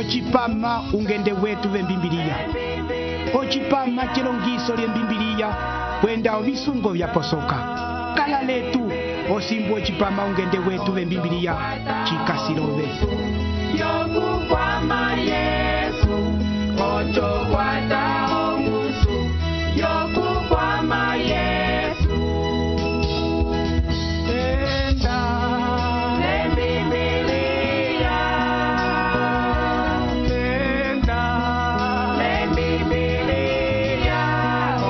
ocipama ungende wetu vembimbiliya, ocipama cilongiso lyembimbiliya kwenda ovisungo vyaposoka. Kala letu osimbu ocipama ungende wetu vembimbiliya cikasilove. Yokukwama Yesu, ocho kwata ongusu. Yokukwama Yesu, Enda lembimbiliya, enda lembimbiliya,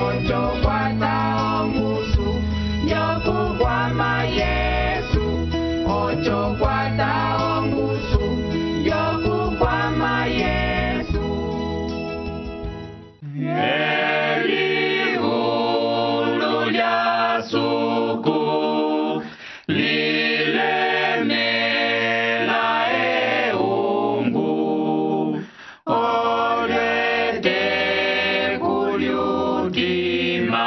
ocho kwata ongusu. Yokukwama Yesu, ocho kwata ongusu. Yokukwama Yesu. Elihulu lya suku lilemela eungu, olete kulyutima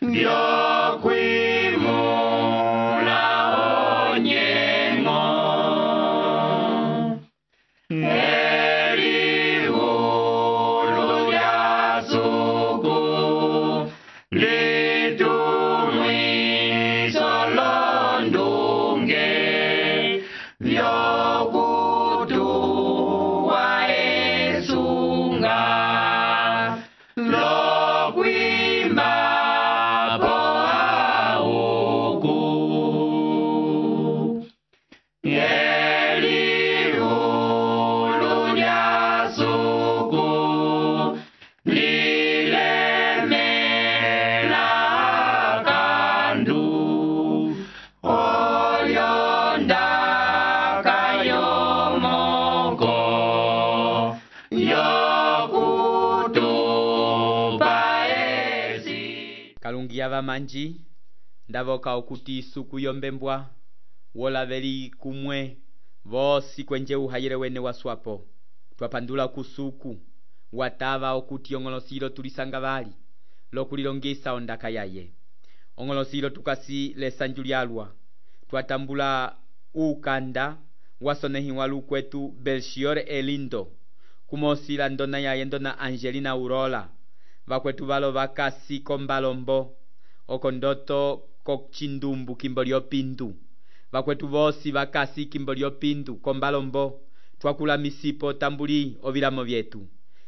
vyokwimula onyengo. Elihulu lya suku litumwiso londunge vyokutuwa esunga lokwimba po auku. Elihulu lya suku lilemela kandu, olyondaka yomoko yokutupa esi. Kalungiya vamanji ndavoka okuti isuku yombembwa wolaveli kumwe vosi kwenje uhayele wene waswapo. Twapandula kusuku watava okuti ong'olosilo tulisanga vali lokulilongisa ondaka yaye. Ong'olosilo tukasi lesanju lyalwa twatambula ukanda wasonehiwa lukwetu Belchior Elindo, kumosila ndona yaye ndona Angelina Aurora, vakwetu valo vakasi kombalombo okondoto kokchindumbu kimbo lyopindu, vakwetu vosi vakasi kimbo lyopindu kombalombo. Twakula misipo tambuli ovilamo vyetu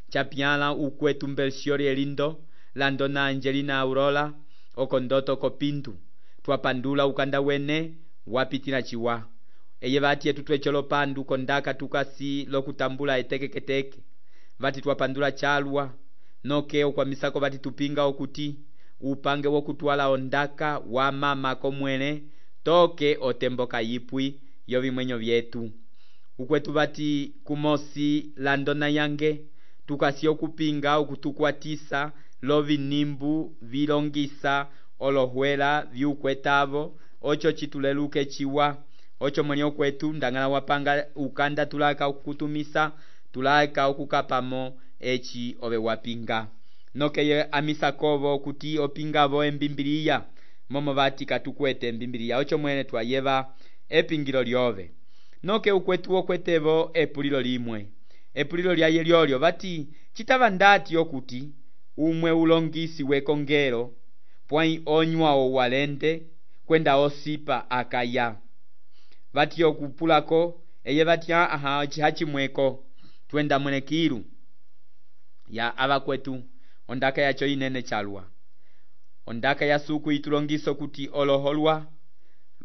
chapyala ukwetu Belchior Elindo landona Angelina Aurora okondoto kopindu. Twapandula ukanda wene wapitila chiwa eye vati yetu twecholo pandu kondaka tukasi lokutambula etekeketeke vati twapandula chalwa nokeo kwa misako vati tupinga okuti upange wokutwala ondaka wa mama komwele toke otemboka yipwi yovimwenyo vyetu. Ukwetu vati kumosi landona yange tukasi okupinga okutukwatisa lovinimbu vilongisa olohwela vyukwetavo ocho chituleluke chiwa ocho mwenye kwetu ndangala wapanga ukanda tulaka okukutumisa tulaka okukapamo echi ove wapinga nokeye amisakovo kuti opingavo embimbiliya momo vati katukwete embimbiliya ocho mwene twayeva epingilo lyove noke ukwetu okwetevo epulilo limwe. Epulilo lyaye lyolyo vati chitava ndati okuti umwe ulongisi wekongelo pwai onywa owalende kwenda osipa akaya vati okupulako eye vati chihachimweko twenda mwenekiru ya avakwetu ondaka yacho inene chalwa. Ondaka ya suku itulongiso kuti oloholwa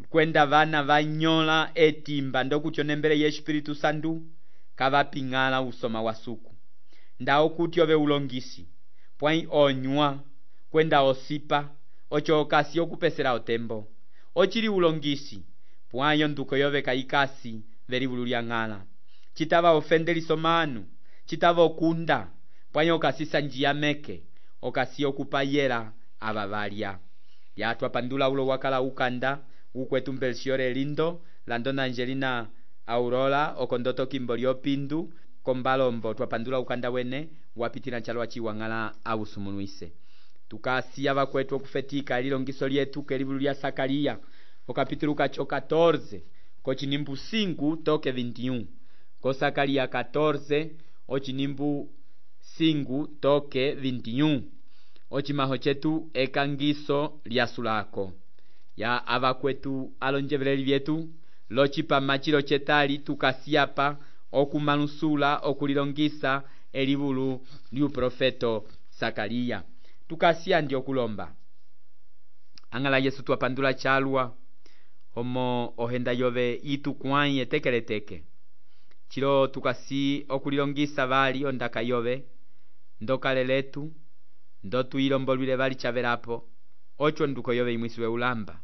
kwenda vana vanyola etimba ndokuti onembele ye Espiritu Santu kavapingala usoma wa suku ndao kuti ove ulongisi pwai onywa kwenda osipa ocho okasi okupesela otembo ochili ulongisi pwayo nduko yove kaikasi veli vululyang'ala chitava ofendeliso manu chitava okunda pwayo okasisa njia meke okasi okupayela ava valya yatwa pandula ulo wakala ukanda ukwetu Belchior Elindo landona Angelina Aurora okondoto kimbo lyopindu kombalombo twapandula ukanda wene wapitila chalwa chiwang'ala ausumunuise tukasiya vakwetu okufetika elilongiso lyetu kelivulu lya Sakaria okapitulo kacho 14 kochinimbu 5 toke 21 ko Zacarias 14 ochinimbu 5 toke 21 ochimaho chetu ekangiso lya sulako ya avakwetu alonjeveleli vyetu lochipama chilo chetali tukasiapa okumanusula okulilongisa elivulu lyuprofeto Zacarias tukasia ndi okulomba angala Yesu twapandula chalwa homo ohenda yove itukwai etekeleteke chilo tukasi okulilongisa vali ondaka yove ndokale letu ndotuyilombolwile vali chavelapo ocho nduko yove imwisiwe ulamba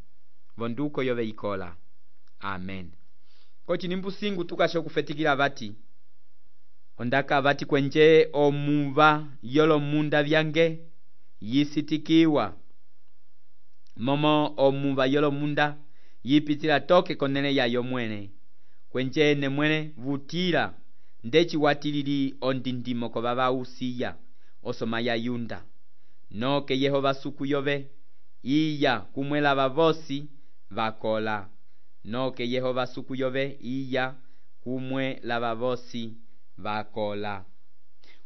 vonduko yove ikola amen kochinimbu singu tukasho kufetikila vati ondaka vati kwenje omuva yolo munda vyange yisitikiwa momo omuva yolo munda yipitila toke konele yayo mwene kwenje ene mwene vutila ndechi watilili ondindimo ko baba usiya osoma ya yunda noke Yehova suku yove iya kumwela vavosi vakola noke Yehova suku yove iya kumwe la vavosi vakola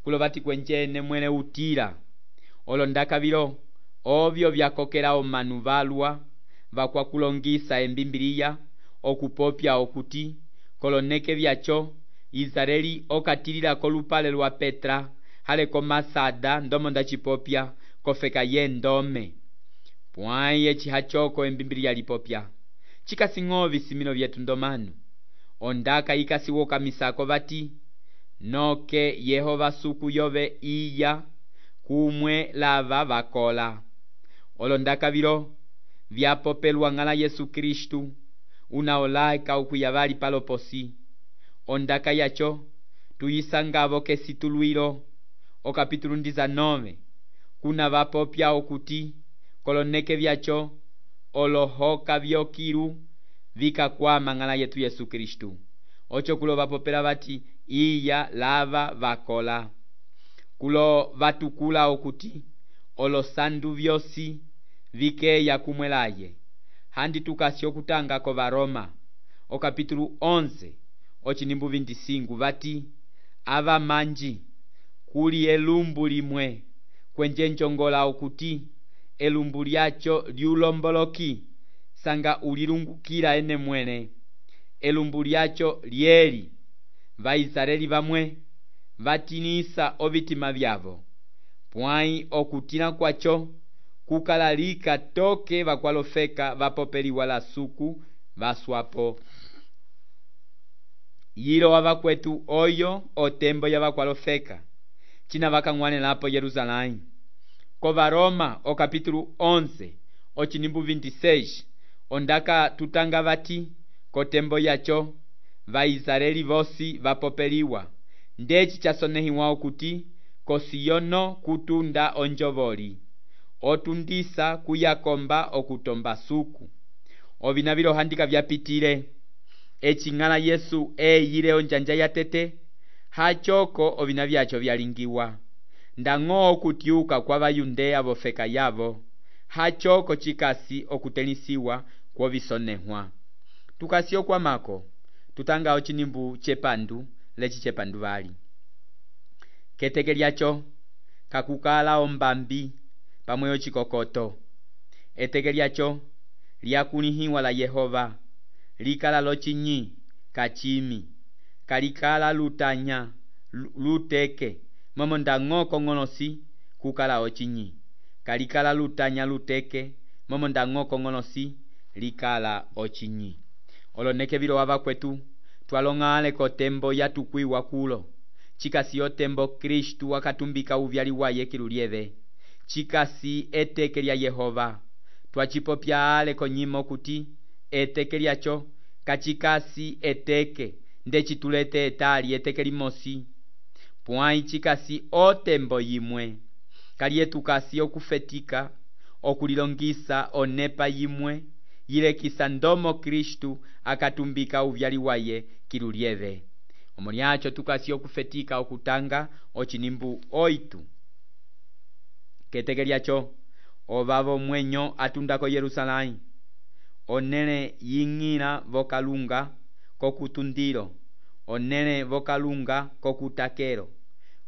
kulo vati kwenje ene mwene utila olondaka vilo ovyo vyakokela omanu valwa vakwa kulongisa embimbiliya okupopya okuti koloneke vyacho Israeli okatilila kolupale lwa Petra hale komasada ndomo ndachipopya kofeka yendome pwaye chihachoko embimbiliya lipopya chikasing'ovi simino vyetu ndomanu ondaka ikasiwoka misako vati noke Yehova suku yove iya kumwe lava vakola olondaka vilo vyapopelwa ngala Yesu Kristu unaolaika ukuyavali paloposi ondaka yacho tuyisangavo kesitulwilo okapitulu 19 kuna vapopya okuti koloneke vyacho olohoka vyokilu vikakwama ngala yetu Yesu Kristu ocho kulo vapopela vati iya lava vakola kulo vatukula okuti olosandu vyosi vikeya kumwelaye handi tukasi okutanga ko Varoma okapitulu 11 ochinimbu 25 vati ava manji kuli elumbu limwe kwenje nchongola okuti elumbu lyacho lyulomboloki sanga ulilungukila ene mwene elumbu lyacho lyeli vaisraeli vamwe vatinisa ovitima vyavo pwai okutila kwacho kukalalika toke vakwalofeka vapopeliwa la suku vaswapo yilo wavakwetu oyo otembo ya vakwalofeka china vakang'wanelapo Yerusalemu ko Varoma okapitulu 11 ochinimbu 26 ondaka tutanga vati kotembo yacho vaisraeli vosi vapopeliwa ndechi chasonehiwa okuti kosiyono kutunda onjovoli otundisa kuyakomba okutomba suku ovina vilo handika vyapitile eching'ala Yesu eyile onjanja yatete hachoko ovina vyacho vyalingiwa ndang'o okutiuka kwa vayundeya vofeka yavo hachoko chikasi okutelisiwa kwovisonehwa tukasi okwamako tutanga ochinimbu chepandu lechi chepandu vali keteke lyacho kakukala ombambi pamwe ochikokoto eteke lyacho lyakulihiwa la Yehova likala lochinyi kachimi kalikala lutanya luteke momo ndang'o kong'onosi kukala ochinyi kalikala lutanya luteke momo ndang'o kong'onosi likala ochinyi oloneke vilo wavakwetu twalong'ale kotembo yatukwiwa kulo chikasi otembo Kristu wakatumbika uvyali waye kilulieve chikasi eteke lya Yehova twachipopya ale konyimo kuti eteke lyacho kachikasi eteke ndechitulete etali eteke limosi pwai chikasi otembo yimwe kalietukasi okufetika okulilongisa onepa yimwe yilekisa ndomo Kristu akatumbika uvyali waye kilulieve omolyacho tukasi okufetika okutanga ochinimbu 8 keteke lyacho ovavo mwenyo atundako Yerusalemu onele ying'ila vokalunga kokutundilo onele vokalunga kokutakelo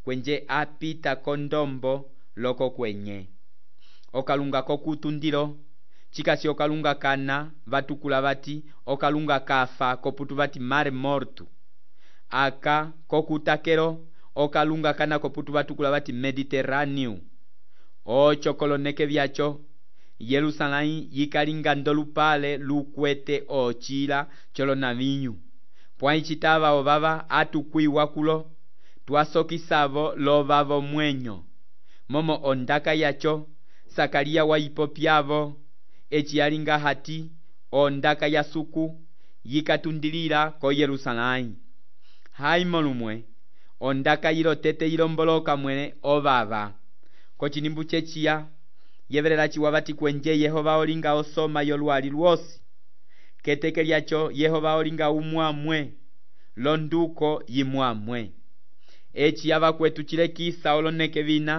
kwenje apita kondombo loko kwenye okalunga kokutundilo chikasi okalunga kana vatukula vati okalunga kafa koputu vati mare mortu aka kokutakelo okalunga kana koputu vatukula vati mediterrâneo ocho koloneke vyacho Yerusalém yikalinga ndolupale lukwete ochila cholo navinyu pwai chitava ovava atukwiwa kulo twasokisavo lovavo mwenyo momo ondaka yacho Sakariya waipopyavo eci yalinga hati ondaka ya suku yikatundilila ko Yerusalém haimo lumwe ondaka yilo tete yilomboloka mwene ovava kochinimbu chechiya yevelela chiwavati kwenje Yehova olinga osoma yolwali lwosi keteke lyacho Yehova olinga umwamwe londuko yimwamwe eci yava kwetu chilekisa oloneke vina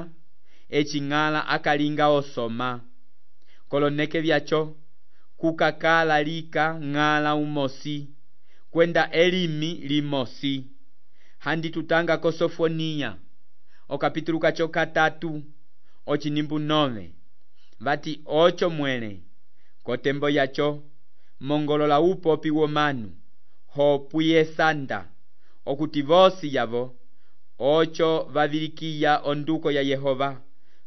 eci ng'ala akalinga osoma koloneke vyacho kukakala lika ng'ala umosi kwenda elimi limosi handi tutanga ko Sofoniya okapitulu kacho 3 ochinimbu 9 vati ocho mwele kotembo yacho mongolola upopi womanu hopuye sanda okuti vosi yavo ocho vavilikiya onduko ya Yehova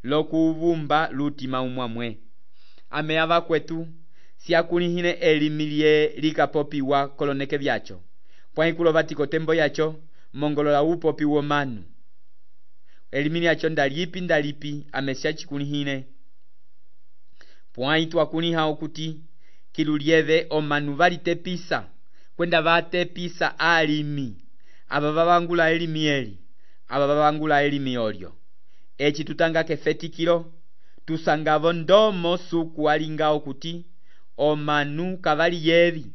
lokuvumba lutima umwamwe ame ava kwetu siakulihile elimi lye likapopiwa koloneke vyacho pwai kulo vati kotembo yacho mongolola upopi womanu elimi lyacho ndalipi ame siachikulihile pwai twakuliha okuti kilulieve omanu valitepisa kwenda vatepisa alimi ava vavangula elimi eli ava vavangula elimi olyo eci tutanga kefetikilo tusangavo ndomo suku alinga okuti omanu kavali yevi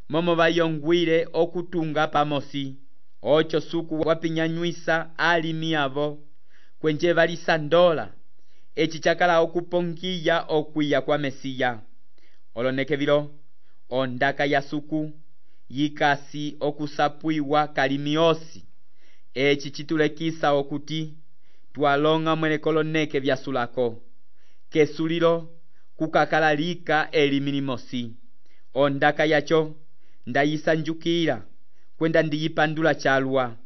momo vayongwile okutunga pamosi ocho suku wapinyanyuisa alimi avo kwenje valisandola eci chakala okupongiya okwiya kwa Mesiya oloneke vilo ondaka ya suku yikasi okusapwiwa kalimi osi eci chitulekisa okuti twalonga mwele koloneke vyasulako kesulilo kukakala lika elimi limosi ondaka yacho ndayisanjukila kwenda ndiyipandula chalwa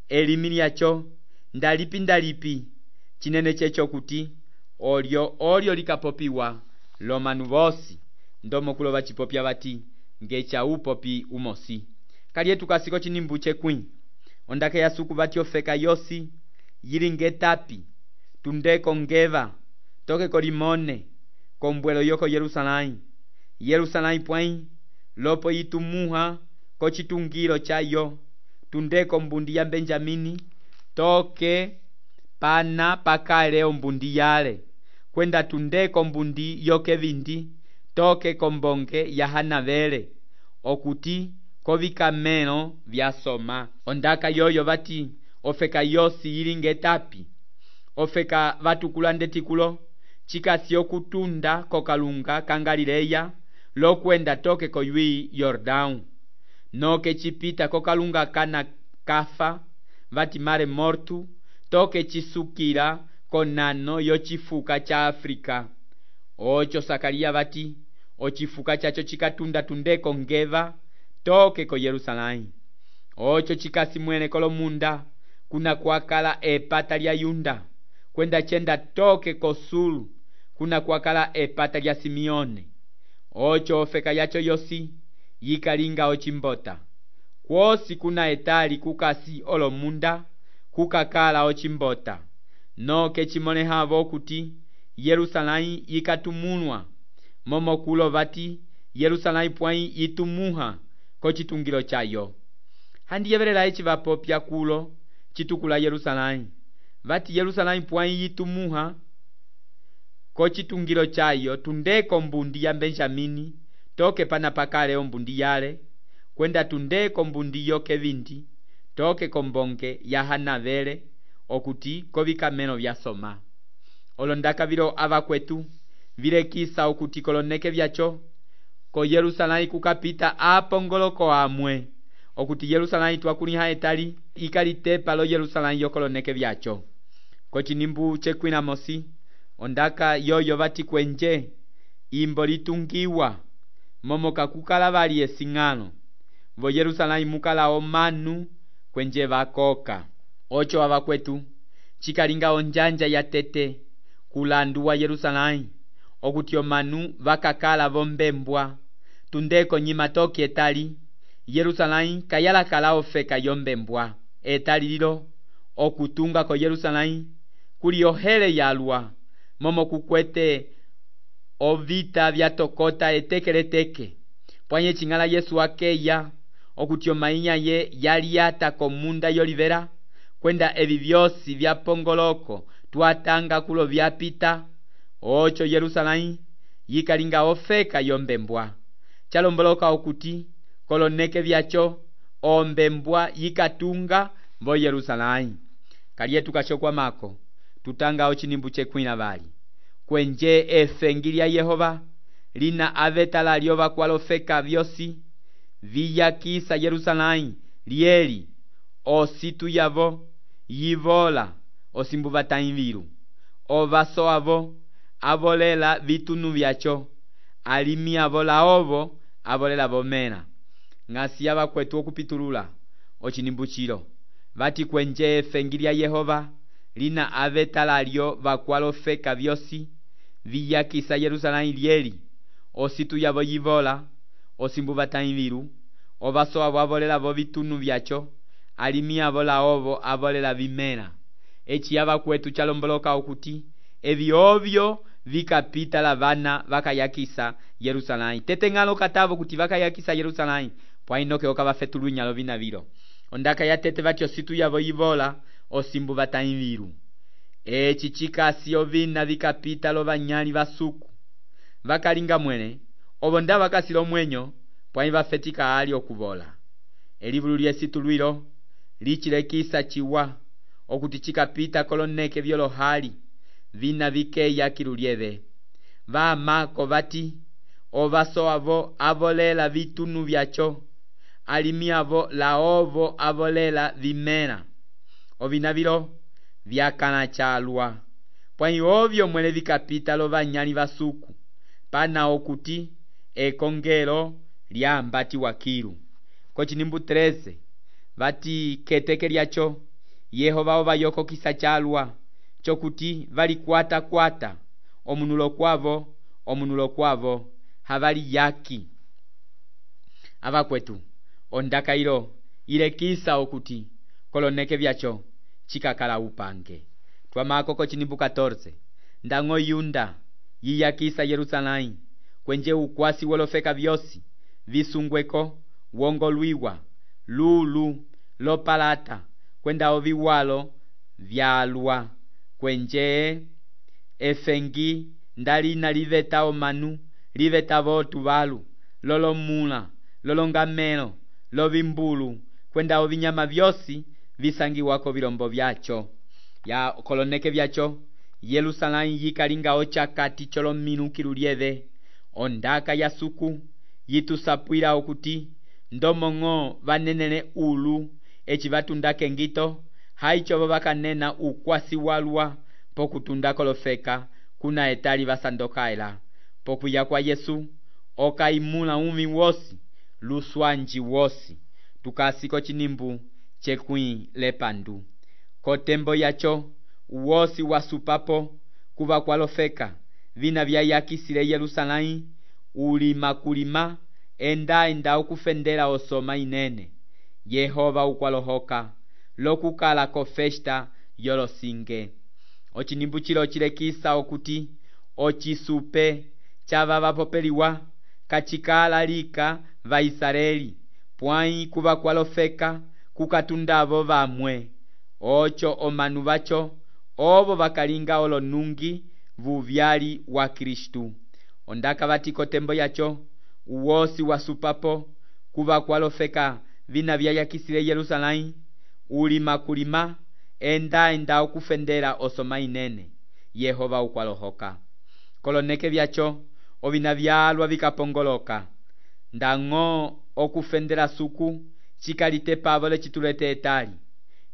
elimi lyacho ndalipi chinene checho kuti olyo likapopiwa lomanu vosi ndomo kulo vachipopya vati ngecha upopi umosi kalietu kasiko chinimbu chekwi ondaka ya suku vati ofeka yosi yilinge tapi tundeko ngeva toke kolimone kombwelo yoko Yerusalém pwai lopo yitumuha kochitungilo chayo tundeko mbundi ya Benjamini toke pana pakale ombundi yale kwenda tundeko mbundi yokevindi toke kombonge ya Hanavele okuti kovikamelo vyasoma ondaka yoyo vati ofeka yosi yilinge tapi ofeka vatukula ndetikulo chikasi okutunda kokalunga kangalileya lokwenda toke koyui Yordão noke chipita kokalunga kana kafa vati mare mortu toke chisukila konano yochifuka cha Afrika ocho Sakariya vati ochifuka chacho chikatunda tundeko ngeva toke ko Yerusalém ocho chikasi mwene kolomunda kuna kwakala epata lya Yunda kwenda chenda toke kosulu kuna kwakala epata lya Simeone ocho ofeka yacho yosi yikalinga ochimbota kwosi kuna etali kukasi olomunda kukakala ochimbota noke chimonehavo okuti Yerusalém yikatumulwa momo kulo vati Yerusalém pwai yitumuha kochitungilo chayo handiyevelela eci vapopya kulo chitukula Yerusalém vati Yerusalém pwai yitumuha kochitungilo chayo tundeko mbundi ya Benjamini toke pana pakale ombundi yale kwenda tundeko mbundi yokevindi toke kombonge ya Hanavele okuti kovikamelo vyasoma olondaka vilo ava kwetu vilekisa okuti koloneke vyacho ko Yerusalém kukapita apongoloko amwe okuti Yerusalém twakuliha etali ikalitepa lo Yerusalém yokoloneke vyacho. Kochinimbu chekwina mosi ondaka yoyo vati kwenje imbo litungiwa momoka kukala vali esing'ano vo Yerusalém mukala omanu kwenje vakoka. Ocho avakwetu chikalinga onjanja ya tete kulandu wa Yerusalém okuti omanu vakakala vombembwa tundeko nyima toki etali Yerusalém kayalakala ofeka yombembwa. Etali lilo okutunga ko Yerusalém kuli ohele yalwa momo kukwete ovita vyatokota etekeleteke pwanye chingala Yesu akeya okuti omainya ye yaliata komunda yolivera kwenda evi vyosi vyapongoloko twatanga kulo vyapita. Ocho Yerusalém yikalinga ofeka yombembwa chalomboloka okuti koloneke vyacho ombembwa yikatunga vo Yerusalém. Kalietu kachokwa mako tutanga ochinimbu chekwina vali kwenje efengi lya Yehova lina avetala lyova kwalofeka vyosi viyakisa Yerusalém lieli ositu yavo yivola osimbuvata inviru ovaso avo avolela vitunu vyacho alimi avola ovo avolela vomena. Ngasi avakwetu okupitulula ochinimbu chilo vati kwenje efengi lya Yehova lina avetala lyo vakwalofeka vyosi viyakisa Yerusalém lieli ositu yavo yivola osimbuvata inviru ovaso avo avolela vo vitunu vyacho alimi avola ovo avolela vimena. Echi avakwetu chalomboloka okuti evi ovyo vikapita la vana vakayakisa Yerusalém. Tete ngalo katavo kuti vakayakisa Yerusalém pwainoke okavafetulu nyalo vina vilo ondaka ya tete vati ositu yavo yivola osimbuvata inviru. Echi chikasi ovina vikapita lo vanyali vasuku vakalinga mwene ovo nda vakasila omwenyo pwanyi vafetika ali okuvola. Elivulu lyesitu lwilo lichilekisa chiwa okuti chikapita koloneke vyolohali vina vikeya kilulieve vamako vati ovaso avo avolela vitunu vyacho alimi avo la ovo avolela vimena. Ovina vilo vyakana chalwa pwanyi ovyo mwele vikapita lo vanyali vasuku pana okuti ekongelo lyambati wakilu. Kochinimbu 13 vati keteke lyacho Yehova ovayokokisa chalwa chokuti valikwata omunulo kwavo havali yaki. Avakwetu ondaka ilo ilekisa okuti koloneke vyacho chikakala upange. Twamako kochinimbu 14 ndango Yunda yiyakisa Yerusalém kwenje ukwasi wolofeka vyosi visungweko wongolwiwa lulu lopalata kwenda oviwalo vyalwa kwenje efengi ndalina liveta omanu liveta votu valu lolomula lolongamelo lovimbulu kwenda ovinyama vyosi visangiwako vilombo vyacho ya koloneke vyacho Yerusalém yikalinga ochakati cholominukilu lieve ondaka ya suku yitusapwila okuti ndomong'o vanenele ulu echi vatundake ngito haichovo vakanena ukwasi walwa pokutunda kolofeka kuna etali vasandokaela pokuya kwa Yesu okaimula umi wosi luswanji wosi tukasiko chinimbu chekwi lepandu kotembo yacho wosi wasupapo kuva kwalofeka vina vyayakisile Yerusalém ulima kulima enda ukufendela osoma inene Yehova ukwalohoka lokukala ko festa yolosinge. Ochinimbu chilo chilekisa okuti ochisupe chava vapopeliwa kachikala lika vaisraeli pwanyi kuva kwalofeka kukatundavo vamwe ocho omanu vacho ovo vakalinga olonungi vuvyali wa Kristu ondaka vatiko tembo yacho uwosi wasupapo kuva kwalofeka vina vyayakisile Yerusalém ulima kulima enda ukufendela osoma inene Yehova ukwalohoka koloneke vyacho ovina vyalwa vikapongoloka ndango okufendela suku cikalite pavo lecitulete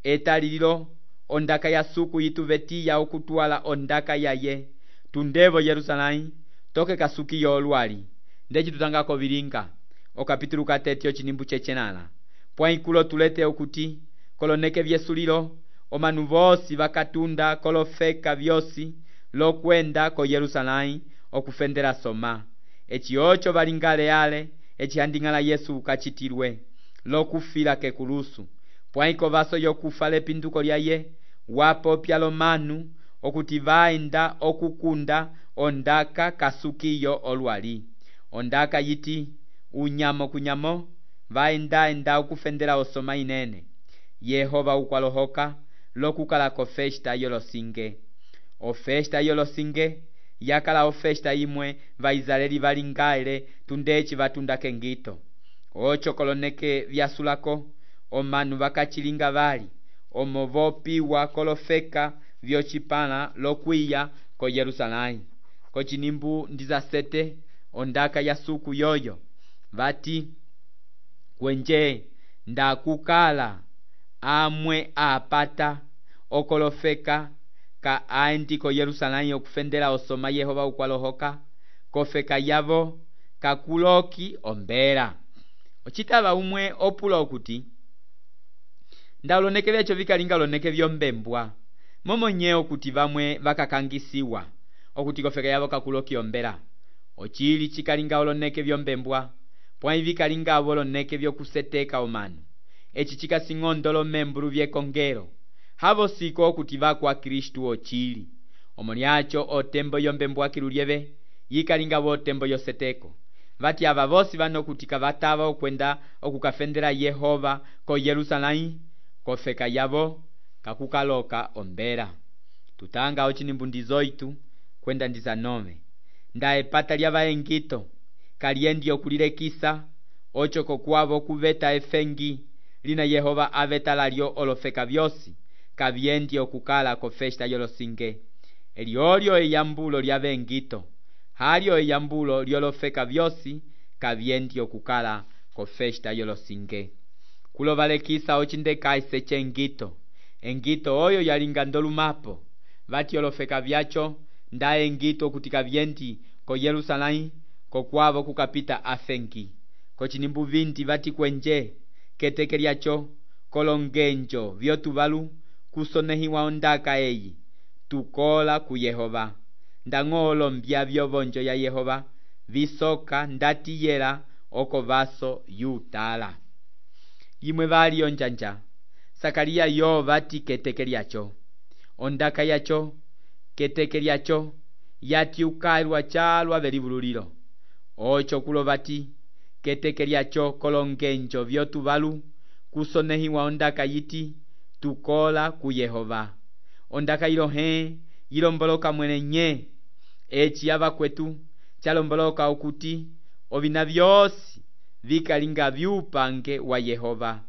etali lilo ondaka ya suku yituvetiya okutwala ondaka yaye tundevo Yerusalém toke kasukiyo olwali ndeci tutangako vilinga okapitulu katete ocinimbu cecenala pwaikulo tulete okuti koloneke vyesulilo omanu vosi vakatunda kolofeka vyosi lokwenda ko Yerusalém okufendela soma eci oco valingale ale ecihanding'ala Yesu kacitilwe lokufila kekulusu pwaiko vaso yokufa lepinduko lyaye wapopya lomanu okuti vaenda okukunda ondaka kasukiyo olwali ondaka yiti unyamo kunyamo vaenda okufendela osoma inene Yehova ukwalohoka lokukala ko festa yolosinge ofesta yolosinge yakala ofesta imwe vaisraeli valingaile tundeci vatunda kengito oco koloneke vyasulako omanu vakacilinga vali omo vopiwa kolofeka vyocipala lokwiya ko Yerusalém kocinimbu 17 ondaka ya suku yoyo vati kwenje ndakukala amwe apata okolofeka ka aendi ko Yerusalém okufendela osoma Yehova ukwalohoka kofeka yavo kakuloki ombela ocitava umwe opula okuti ndalonekele eco vikalinga loneke vyombembwa momonye okuti vamwe vakakangisiwa okuti kofeka yavo kakuloki ombela ocili cikalinga oloneke vyombembwa pwai vikalinga avo loneke vyokuseteka omanu eci cikasing'ondolo membulu vyekongelo havo siko okuti vakwa Kristu ocili omolyaco otembo yombembwa kilulyeve yikalinga vo otembo yoseteko vati ava vosi vano kuti kavatava okwenda okukafendela Yehova ko Yerusalém kofeka yavo kakukaloka ombela tutanga ocinimbu 18 kwenda 19 nda epata lya vaengito kaliendi okulilekisa oco kokwavo kuveta efengi lina Yehova aveta lalyo olofeka vyosi kavyendi okukala ko festa yolosinge eliolyo eyambulo lya vengito halyo eyambulo lyolofeka vyosi kavyendi okukala ko festa yolosinge kulovalekisa ocindekaise cengito engito oyo yalinga ndolumapo vati olofeka vyaco nda engito okuti kavyendi ko Yerusalém kokwavo kukapita afengi kocinimbu 20 vati kwenje keteke lyaco kolongenjo vyotuvalu kusonehiwa ondaka eyi tukola ku Yehova ndang'olo mbya vyovonjo ya Yehova visoka ndatiyela oko vaso yutala imwe vali onjanja Sakariya yo vati keteke lyaco ondaka yaco keteke lyaco yati ukailwa calwa velivululilo oco kulo vati keteke lyaco kolongenjo vyotuvalu kusonehiwa ondaka yiti tukola ku Yehova ondaka ilohe ilomboloka mwene nye eci yava kwetu calomboloka okuti ovina vyosi vikalinga vyupange wa Yehova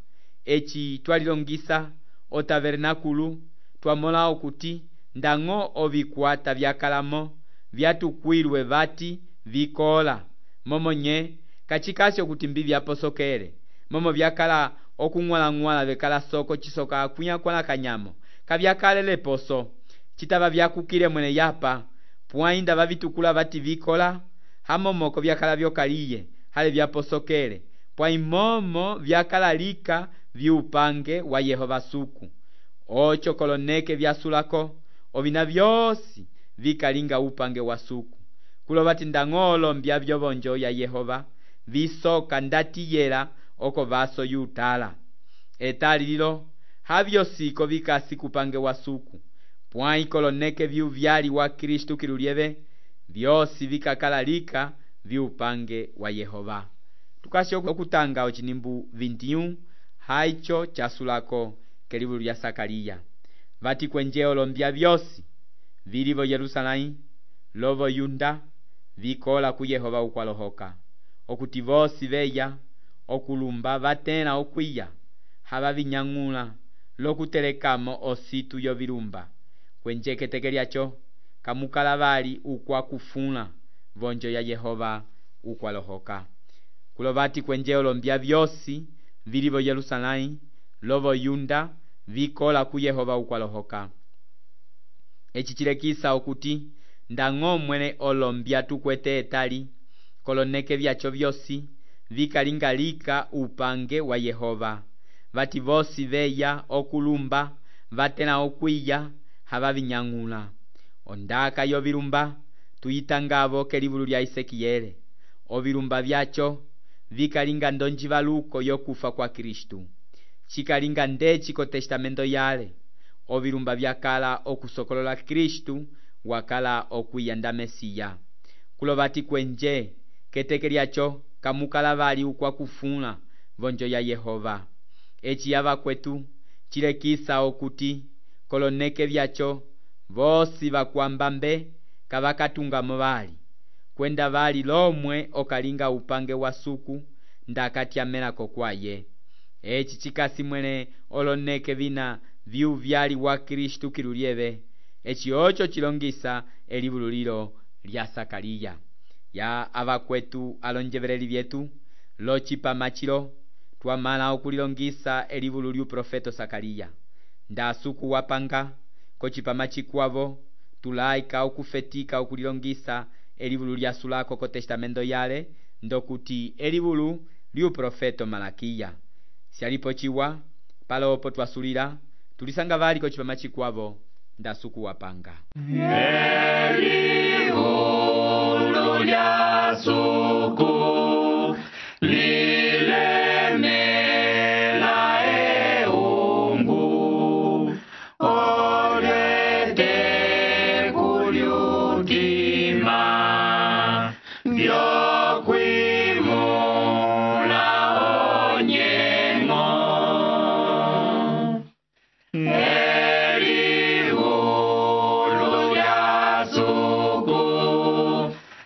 eci twalilongisa otabernakulu twamola okuti ndang'o ovikwata vyakalamo vyatukwilwe vati vikola momonye kacikasi okuti mbi vyaposokele momo vyakala okung'walang'wala vekala soko cisoka akunyakwana kanyamo kavyakalele poso citava vyakukile mwene yapa pwainda vavitukula vati vikola hamomoko vyakala vyokaliye hale vyaposokele pwaimomo vyakalalika vyupange wa Yehova suku oco koloneke vyasulako ovina vyosi vikalinga upange wa suku kulo vati ndang'olo mbya vyovonjo ya Yehova visoka ndatiyela oko vaso yutala etali lilo havyo siko vikasi kupange wa suku pwai koloneke vyuvyali wa Kristu kilulyeve vyosi vikakalalika vyupange wa Yehova tukasi okutanga ocinimbu 21 haico casulako kelivulu lya Sakariya vati kwenje olombya vyosi vilivo Yerusalém lovo Yunda vikola ku Yehova ukwalohoka okuti vosi veya okulumba vatela okwiya hava vinyang'ula lokutelekamo ositu yovilumba kwenje keteke lyaco kamukala vali ukwakufula vonjo ya Yehova ukwalohoka kulo vati kwenje olombya vyosi vili vo Yerusalém lovo Yunda vikola ku Yehova ukwalohoka. Eci cilekisa okuti ndañgo mwene olombya tukwete etali koloneke vyaco vyosi vikalingalika upange wa Yehova. Vati vosi veya okulumba vatela okwiya hava vinyang'ula. Ondaka yovilumba tuyitangavo kelivulu lya Isekiyele. Ovilumba vyaco vikalinga ndonjivaluko yokufa kwa Kristu. Cikalinga ndeci ko testamento yale. Ovilumba vyakala okusokolola Kristu wakala okwiya nda Mesiya. Kulovati kwenje keteke lyaco kamukala vali ukwa kufuna vonjo ya Yehova. Eci yava kwetu cilekisa okuti koloneke vyaco vosi vakwamba mbe kavakatungamo vali kwenda vali lomwe okalinga upange wa suku ndakatyamenako kwaye. Eci cikasi mwene oloneke vina viu vyali wa Kristu kilulieve. Eci oco cilongisa elivulu lilo lya Sakaliya. Ya avakwetu alonjeveleli vyetu locipama cilo twamala okulilongisa elivulu lyu profeto Sakaliya. Nda suku wapanga kocipama cikwavo tulaika okufetika okulilongisa elivulu lya sulako ko testamento yale ndokuti elivulu lyu profeto Malakiya. Sialipo ciwa palopo twasulila tulisanga vali kocipama cikwavo nda suku wapanga. Elivulu lya suku lilemela eungu olete kulyutima vyokwimula onyengo. Elivulu lya suku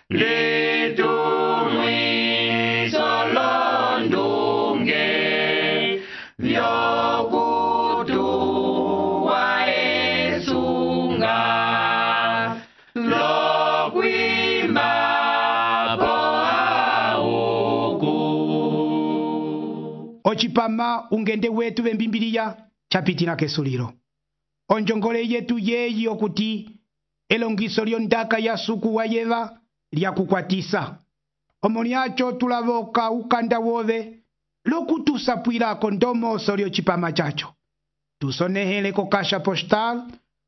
litumwiso londunge vyokutuwa esunga lokwimba po auku. Ocipama ungende wetu vembimbiliya capitila kesulilo. Onjongole yetu yeyi okuti elongiso lyondaka ya suku wa Yeva lyakukwatisa. Omolyaco tulavoka ukanda wove lokutusapwilako ndomoso lyocipama caco. Tusonehele ko Caixa Postal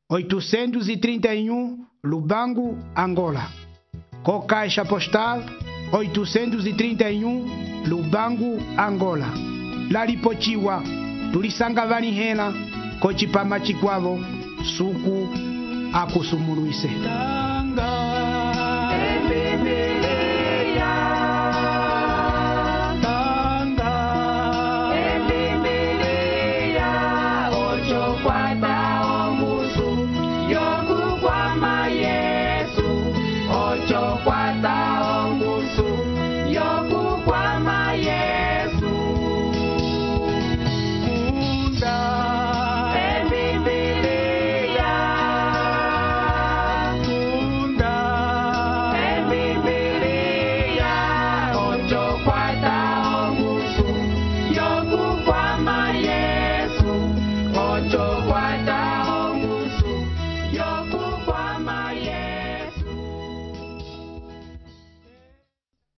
831 Lubangu, Angola. Ko Caixa Postal 831 Lubangu, Angola. Lalipochiwa tulisanga vanihela kocipama cikwavo suku akusumulwise. Ocho guarda